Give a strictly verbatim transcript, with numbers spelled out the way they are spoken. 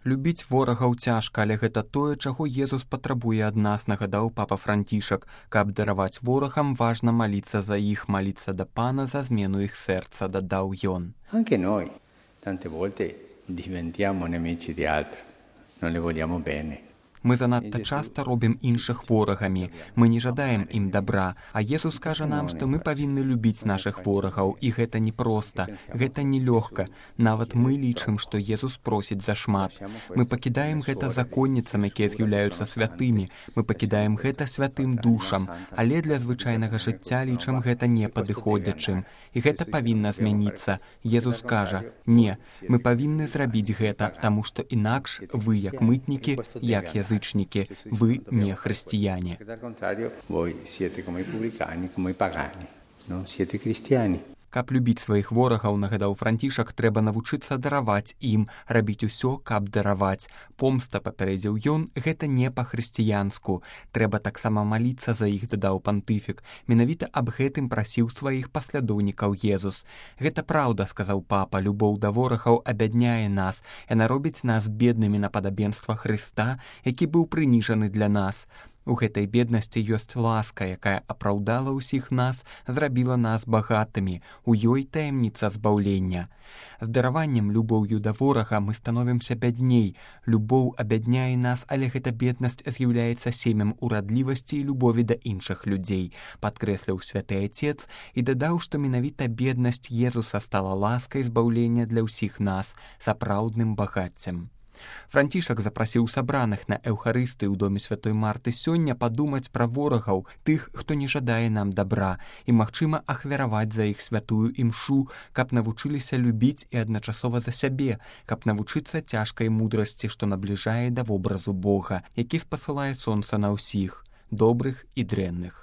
Любіць ворагаў цяжка, але гэта тое, чаго Езус патрабуе ад нас, нагадаў папа Францішак. Каб дараваць ворагам, важна маліцца за іх, маліцца да Пана за змену іх сэрца, дадаў ён. Anche noi tante volte diventiamo nemici di altri, non le vogliamo bene. Мы занадта часта робім іншых ворагамі, мы не жадаем ім добра, а Езус кажа нам, што мы павінны любіць нашых ворагаў, і гэта непроста, гэта нелёгка. Нават мы лічым, што Езус просіць зашмат. Мы пакідаем гэта законніцам, якія з'яўляюцца святымі, мы пакідаем гэта святым душам, але для звычайнага жыцця лічым гэта непадыходзячым. І гэта павінна змяніцца. Езус кажа: не, мы павінны зрабіць гэта, таму што інакш вы, як мытнікі, як язык, вы не хрысціяне. Каб любіць сваіх ворагаў, нагадаў Францішак, трэба навучыцца дараваць ім, рабіць усё, каб дараваць. Помста, папярэдзіў ён, гэта не па-хрысціянску. Трэба таксама маліцца за іх, дадаў пантыфік. Менавіта аб гэтым прасіў сваіх паслядоўнікаў Езус. Гэта праўда, сказаў папа, любоў да ворагаў абядняе нас. Яна робіць нас беднымі на падабенства Хрыста, які быў прыніжаны для нас. У гэтай беднасці ёсць ласка, якая апраўдала ўсіх нас, зрабіла нас багатымі, у ёй таямніца збаўлення. З дараваннем, любоўю да ворага мы становімся бядней. Любоў абядняе нас, але гэта беднасць з'яўляецца семем урадлівасці і любові да іншых людзей, падкрэсліў святы Отец і дадаў, што менавіта беднасць Езуса стала ласкай збаўлення для ўсіх нас, сапраўдным багаццем. Францішак запрасіў сабраных на Эўхарыстыі ў доме святой Марты сёння падумаць пра ворагаў, тых, хто не жадае нам добра, і, магчыма, ахвяраваць за іх святую імшу, каб навучыліся любіць і адначасова за сябе, каб навучыцца цяжкай мудрасці, што набліжае да вобразу Бога, які спасылае сонца на ўсіх, добрых і дрэнных.